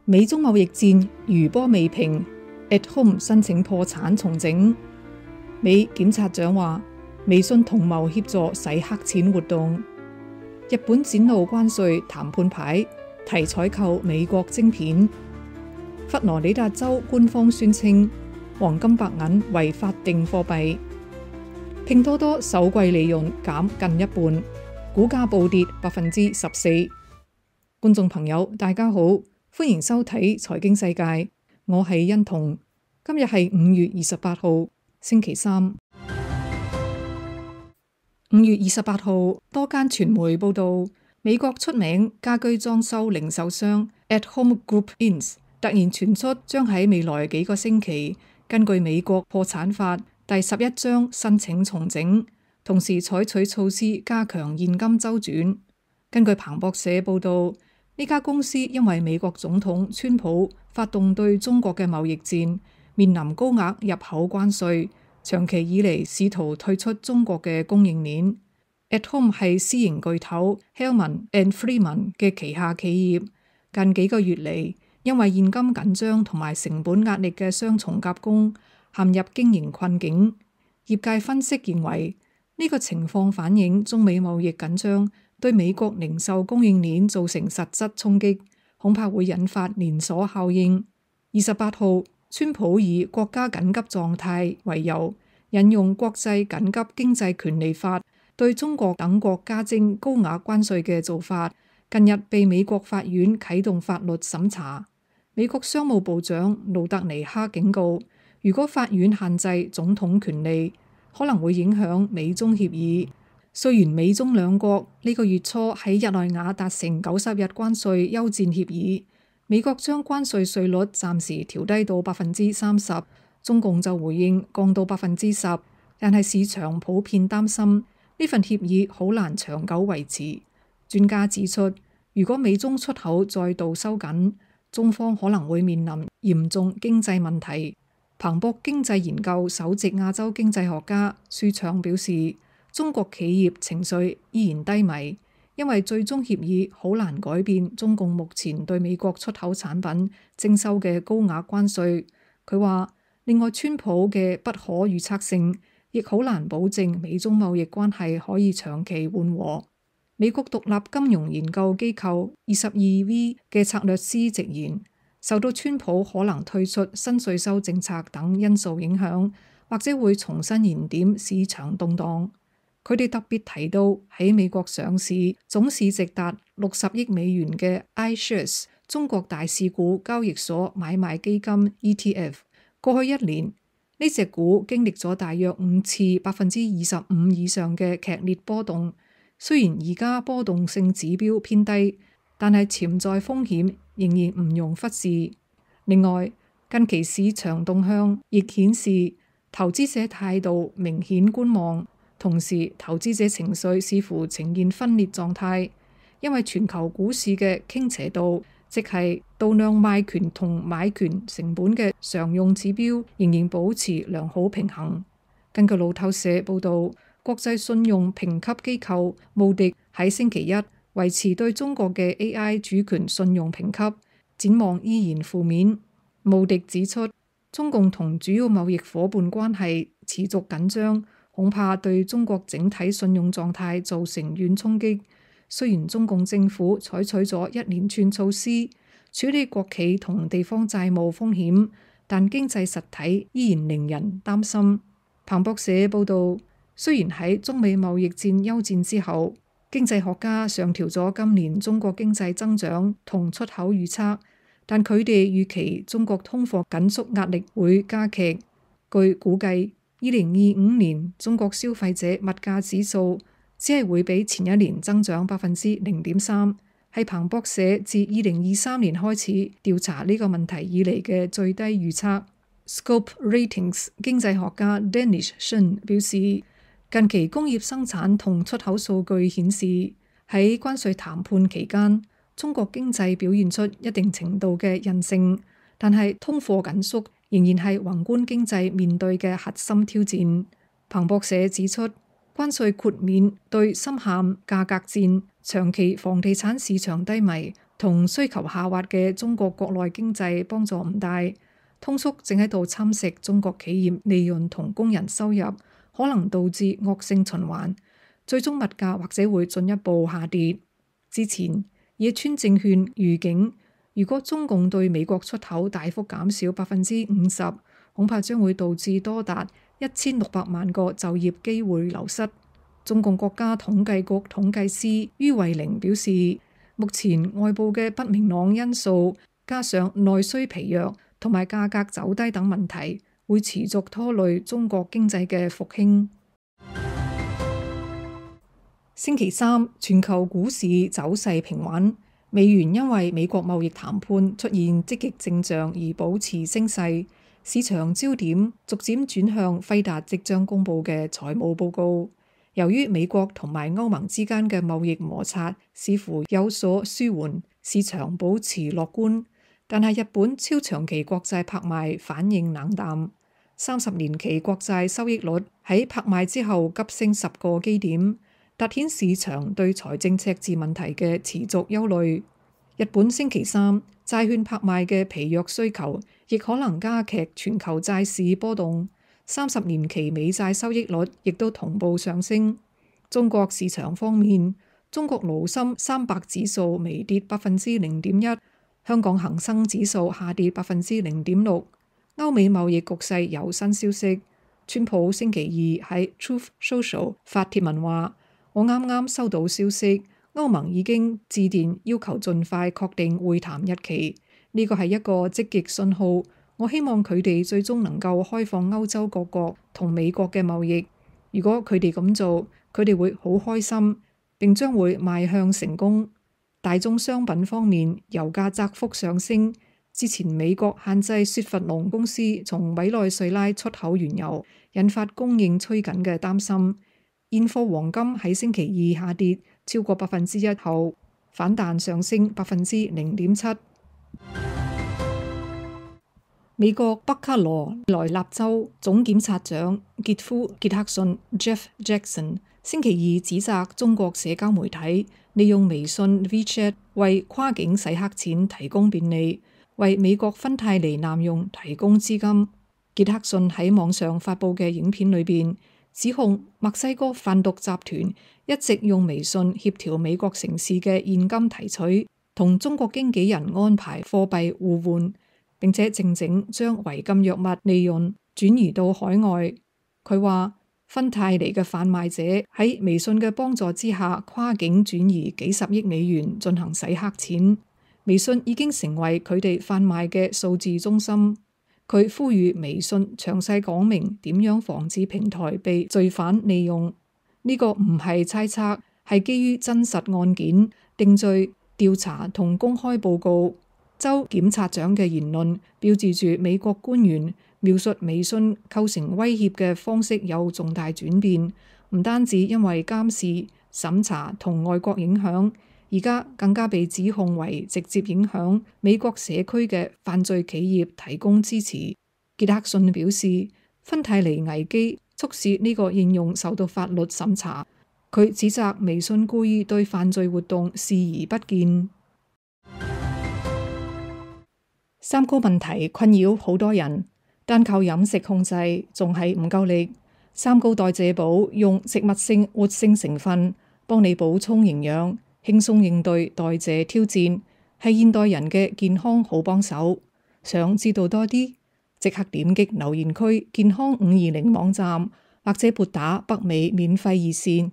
美中貿易戰餘波未平 ，At Home 申請破產重整。美檢察長話，微信同謀協助洗黑錢活動。日本展露關稅談判牌，提採購美國晶片。佛羅里達州官方宣稱，黃金白銀為法定貨幣。拼多多首季利潤減近一半，股價暴跌14%。觀眾朋友，大家好，歡迎收睇財經世界，我係欣彤。今日係5月28號，星期三。5月28號，多間傳媒報道，美國出名家居裝修零售商 At Home Group Inc. 突然傳出將喺未來幾個星期根據美國破產法第11章申請重整，同時採取措施加強現金周轉。根據彭博社報道，呢家公司因為美國總統川普發動對中國嘅貿易戰，面臨高額入口關稅。長期以嚟試圖退出中國嘅供應鏈。At Home 係私營巨頭 Hellman and Friedman 嘅旗下企業，近幾個月嚟因為現金緊張同埋成本壓力嘅雙重夾攻，陷入經營困境。業界分析認為，呢個情況反映中美貿易緊張對美國零售供應鏈造成實質衝擊，恐怕會引發連鎖效應。28號，川普以國家緊急狀態為由，引用國際緊急經濟權利法，對中國等國加徵高額關稅嘅做法，近日被美國法院啟動法律審查。美國商務部長盧特尼克警告，如果法院限制總統權利，可能會影響美中協議。雖然美中兩國呢個月初喺日內瓦達成90日關稅休戰協議，美國將關稅稅率暫時調低到30%，中共就回應降到10%，但係市場普遍擔心呢份協議好難長久維持。專家指出，如果美中出口再度收緊，中方可能會面臨嚴重經濟問題。彭博經濟研究首席亞洲經濟學家舒暢表示，中國企業情緒依然低迷，因為最終協議好難改變中共目前對美國出口產品徵收嘅高額關稅。佢話，另外川普嘅不可預測性亦好難保證美中貿易關係可以長期緩和。美國獨立金融研究機構 22V 嘅策略師直言，受到川普可能退出新稅收政策等因素影響，或者會重新燃點市場動盪。佢哋特別提到喺美國上市、總市值達60億美元嘅 iShares 中國大市股交易所買賣基金 ETF， 過去一年呢隻股經歷咗大約5次25%以上嘅劇烈波動。雖然而家波動性指標偏低，但係潛在風險仍然唔容忽視。另外，近期市場動向亦顯示投資者態度明顯觀望。同時，投資者情緒似乎呈現分裂狀態，因為全球股市嘅傾斜度，即係度量賣權同買權成本嘅常用指標，仍然保持良好平衡。根據路透社報導，國際信用評級機構穆迪喺星期一維持對中國嘅 AI 主權信用評級，展望依然負面。穆迪指出，中共同主要貿易夥伴關係持續緊張，恐怕對中國整體信用狀態造成軟衝擊。雖然中共政府採取咗一連串措施處理國企同地方債務風險，但經濟實體依然令人擔心。彭博社報導，雖然喺中美貿易戰休戰之後，經濟學家上調咗今年中國經濟增長同出口預測，但佢哋預期中國通貨緊縮壓力會加劇。據估計，2025年中國消費者物價指數只係會比前一年增長0.3%，係彭博社自2023年開始調查呢個問題以嚟嘅最低預測。Scope Ratings 經濟學家 Danish Shen 表示，近期工業生產同出口數據顯示，喺關稅談判期間，中國經濟表現出一定程度嘅韌性，但係通貨緊縮仍然係宏觀經濟面對嘅核心挑戰。彭博社指出，關稅豁免對深陷價格戰、長期房地產市場低迷同需求下滑嘅中國國內經濟幫助唔大，通縮正喺度侵蝕中國企業利潤同工人收入，可能導致惡性循環，最終物價或者會進一步下跌。之前野村證券預警，如果中共對美國出口大幅減少50%，恐怕將會導致多達1600萬個就業機會流失。中共國家統計局統計師于惠玲表示，目前外部嘅不明朗因素，加上內需疲弱同埋價格走低等問題，會持續拖累中國經濟嘅復興。星期三，全球股市走勢平穩，美元因為美國貿易談判出現積極跡象而保持升勢，市場焦點逐漸轉向輝達即將公佈嘅財務報告。由於美國同埋歐盟之間嘅貿易摩擦似乎有所舒緩，市場保持樂觀。但係日本超長期國債拍賣反應冷淡，30年期國債收益率喺拍賣之後急升10個基點，凸顯市場對財政赤字問題嘅持續憂慮。日本星期三債券拍賣嘅疲弱需求，亦可能加劇全球債市波動。30年期美債收益率亦都同步上升。中國市場方面，中國滷深300指數微跌0.1%，香港恒生指數下跌0.6%。歐美貿易局勢有新消息，川普星期二喺 Truth Social 發帖文話：我啱啱收到消息，歐盟已經致電要求盡快確定會談日期，呢個係一個積極信號。我希望佢哋最終能夠開放歐洲各國同美國嘅貿易。如果佢哋咁做，佢哋會好開心，並將會邁向成功。大宗商品方面，油價窄幅上升。之前美國限制雪佛龍公司從委內瑞拉出口原油，引發供應趨緊嘅擔心。現貨黃金喺星期二下跌超過1%後，反彈上升0.7%。美國北卡羅來納州總檢察長傑夫傑克遜 Jeff Jackson 星期二指責中國社交媒體利用微信 WeChat 為跨境洗黑錢提供便利，為美國芬太尼濫用提供資金。傑克遜喺網上發佈嘅影片裏邊指控墨西哥販毒集團一直用微信協調美國城市嘅現金提取，同中國經紀人安排貨幣互換，並且靜靜將違禁藥物利潤轉移到海外。佢話芬太尼嘅販賣者喺微信嘅幫助之下，跨境轉移幾十億美元進行洗黑錢。微信已經成為佢哋販賣嘅數字中心。佢呼籲微信詳細講明點樣防止平台被罪犯利用。呢個唔係猜測，係基於真實案件、定罪、調查同公開報告。州檢察長嘅言論標誌住美國官員描述微信構成威脅嘅方式有重大轉變，唔單止因為監視、審查同外國影響，而家更加被指控為直接影響美國社區嘅犯罪企業提供支持。傑克遜表示，芬太尼危機促使呢個應用受到法律審查。佢指責微信故意對犯罪活動視而不見。三高問題困擾好多人，單靠飲食控制仲係唔夠力。三高代謝寶用植物性活性成分幫你補充營養，輕鬆應對代謝挑戰，係現代人嘅健康好幫手。想知道多啲，即刻點擊留言區健康520網站，或者撥打北美免費熱線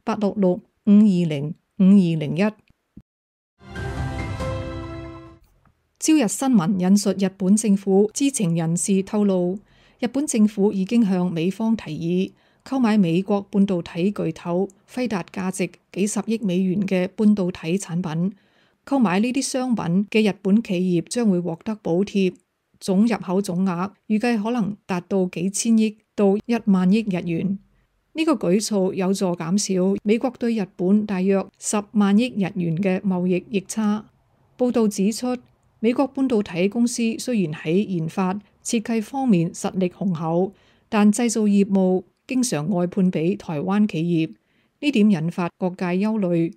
1-866-520-5201。朝日新聞引述日本政府知情人士透露，日本政府已經向美方提議購買美國半導體巨頭輝達價值幾十億美元嘅半導體產品。購買呢啲商品嘅日本企業將會獲得補貼，總入口總額預計可能達到幾千億到1萬億日元。呢個舉措有助減少美國對日本大約10萬億日元嘅貿易逆差。報道指出，美國半導體公司雖然喺研發、設計方面實力雄厚，但製造業務經常外判俾台灣企業，呢點引發各界憂慮。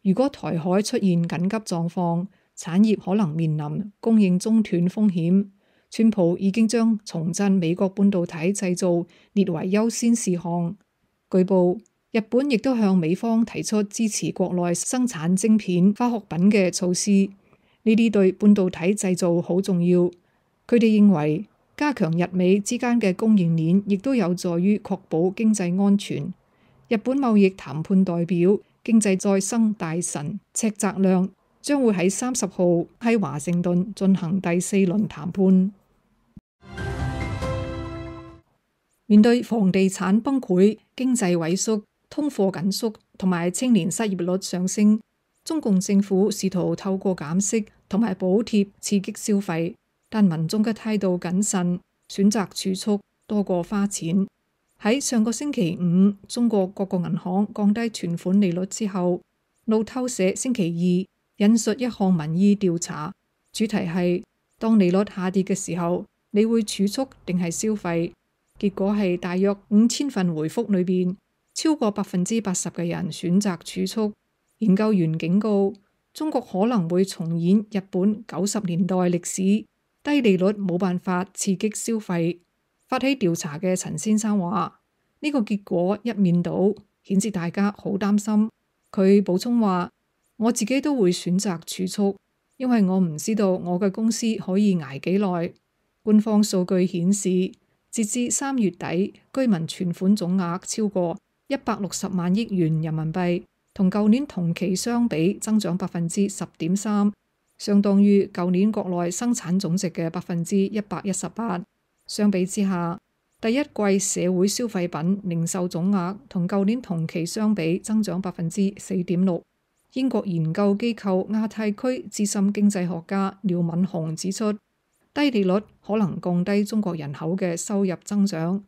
如果台海出現緊急狀況，產業可能面臨供應中斷風險。川普已經將重振美國半導體製造列為優先事項。據報，日本亦都向美方提出支持國內生產晶片、化學品嘅措施，呢啲對半導體製造好重要。佢哋認為加強日美之間嘅供應鏈，亦都有助於確保經濟安全。日本貿易談判代表經濟再生大臣赤澤亮將會喺30號喺華盛頓進行第4輪談判。面對房地產崩潰、經濟萎縮、通貨緊縮同埋青年失業率上升，中共政府試圖透過減息同埋補貼刺激消費，但民眾嘅態度謹慎，選擇儲蓄多過花錢。喺上個星期五，中國各個銀行降低存款利率之後，路透社星期二引述一項民意調查，主題係當利率下跌嘅時候，你會儲蓄定係消費？結果係大約5000份回覆裏邊，超過80%嘅人選擇儲蓄。研究員警告，中國可能會重演日本90年代歷史，低利率冇辦法刺激消費。發起調查嘅陳先生話：呢個結果一面倒，顯示大家好擔心。佢補充話：我自己都會選擇儲蓄，因為我唔知道我嘅公司可以捱幾耐。官方數據顯示，截至3月底，居民存款總額超過160萬億元人民幣，同舊年同期相比增長10.3%，相當於舊年國內生產總值嘅118%。相比之下，第一季社會消費品零售總額同舊年同期相比增長4.6%。英國研究機構亞太區資深經濟學家廖敏雄指出，低利率可能降低中國人口嘅收入增長。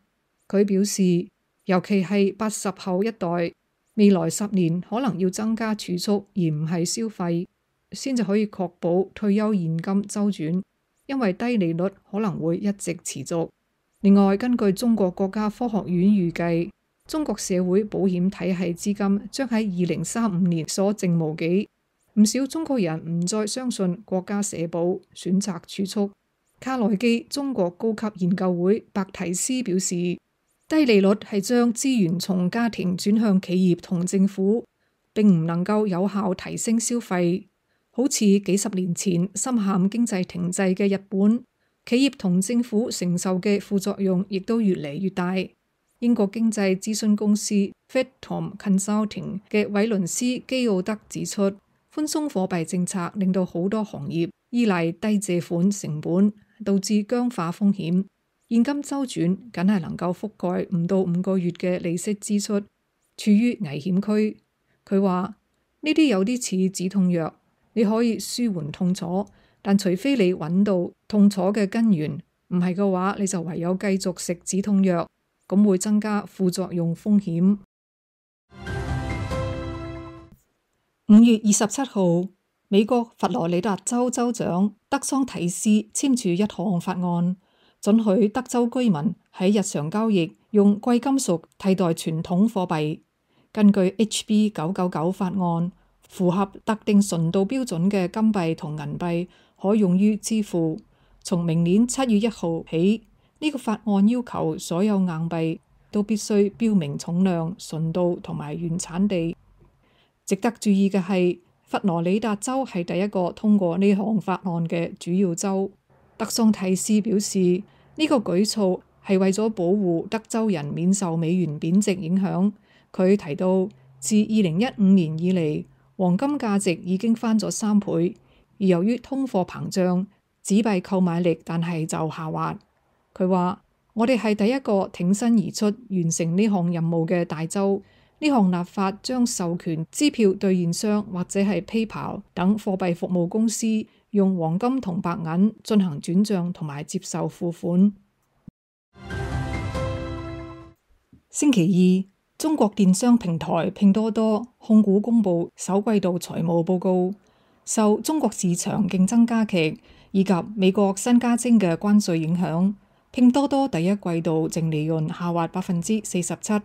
佢表示，尤其係80後一代，未來10年可能要增加儲蓄而唔係消費，先至可以確保退休現金周轉。因為低利率可能會一直持續。另外，根據中國國家科學院預計，中國社會保險體系資金將喺2035年所剩無幾。唔少中國人唔再相信國家社保，選擇儲蓄。卡內基中國高級研究會白提斯表示，低利率係將資源從家庭轉向企業同政府，並唔能夠有效提升消費。好似幾10年前深陷經濟停滯嘅日本，企業同政府承受嘅副作用亦都越嚟越大。英國經濟諮詢公司 Fitcom Consulting 嘅韋倫斯基奧德指出，寬鬆貨幣政策令到好多行業依賴低借款成本，導致僵化風險，現金周轉僅係能夠覆蓋唔到5個月嘅利息支出，處於危險區。佢話呢啲有啲似止痛藥。你可以舒緩痛楚，但除非你揾到痛楚嘅根源，唔係嘅話，你就唯有繼續食止痛藥，咁會增加副作用風險。5月27號，美國佛羅里達州州長德桑提斯簽署一項法案，准許德州居民喺日常交易用貴金屬替代傳統貨幣。根據 HB 999法案，符合特定純度標準嘅金幣同銀幣可用於支付。從明年7月1號起，呢個法案要求所有硬幣都必須標明重量、純度同埋原產地。值得注意嘅係，佛羅里達州係第一個通過呢項法案嘅主要州。德桑提斯表示，呢個舉措係為咗保護德州人免受美元貶值影響。佢提到，自2015年以嚟，黃金價值已經翻咗3倍，而由於通貨膨脹，紙幣購買力但係就下滑。佢話：我哋係第一個挺身而出完成呢項任務嘅大州。呢項立法將授權支票兌現商或者係 PayPal 等貨幣服務公司用黃金同白銀進行轉賬同埋接受付款。星期二，中國電商平台拼多多控股公布首季度財務報告，受中國市場競爭加劇以及美國新加徵嘅關稅影響，拼多多第一季度淨利潤下滑47%，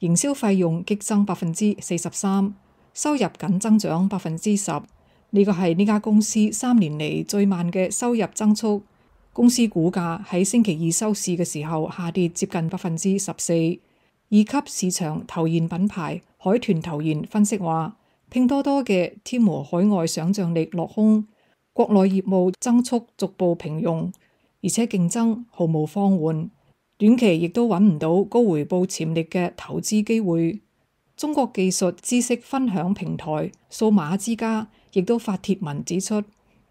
營銷費用激增43%，收入僅增長10%，呢個係呢家公司3年嚟最慢嘅收入增速。公司股價喺星期二收市嘅時候下跌接近14%。二級市場投研品牌海豚投研分析話，拼多多嘅天魔海外想像力落空，國內業務增速逐步平庸，而且競爭毫無放緩，短期亦都揾唔到高回報潛力嘅投資機會。中國技術知識分享平台數碼之家亦都發帖文指出，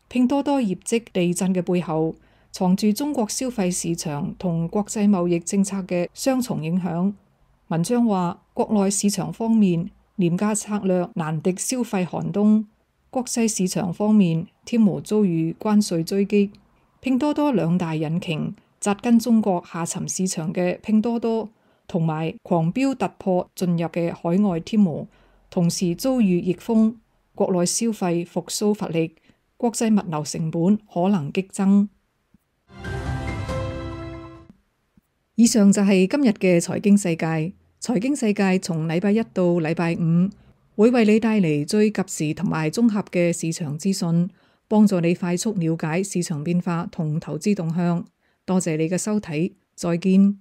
拼多多業績地震嘅背後藏住中國消費市場同國際貿易政策嘅雙重影響。文章話，國內市場方面廉價策略難敵消費寒冬，國際市場方面天魔遭遇關稅追擊，拼多多兩大引擎紮根中國下沉市場嘅拼多多同埋狂飆突破進入嘅海外天魔同時遭遇逆風，國內消費復甦乏力，國際物流成本可能激增。以上就係今日嘅財經世界。財經世界從禮拜一到禮拜五會為你帶嚟最及時同埋綜合嘅市場資訊，幫助你快速了解市場變化同投資動向。多謝你嘅收睇，再見。